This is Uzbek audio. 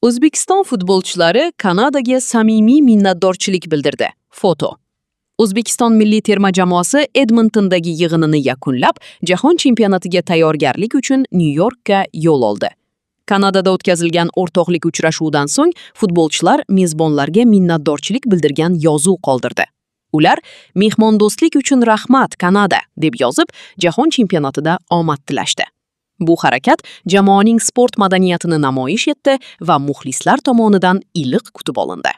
O'zbekiston futbolchilari Kanadaga samimiy minnatdorchilik bildirdi. Foto. O'zbekiston milliy terma jamoasi Edmontondagi yig'inini yakunlab, jahon chempionatiga tayyorgarlik uchun Nyu-Yorkka yo'l oldi. Kanadada o'tkazilgan o'rtoqlik uchrashuvidan so'ng futbolchilar mezbonlarga minnatdorchilik bildirgan yozuv qoldirdi. Ular "Mehmondo'stlik uchun rahmat, Kanada" deb yozib, jahon chempionatida omad tilashdi. Bu harakat jamoaning sport madaniyatini namoyish etdi va muxlislar tomonidan iliq kutib olindi.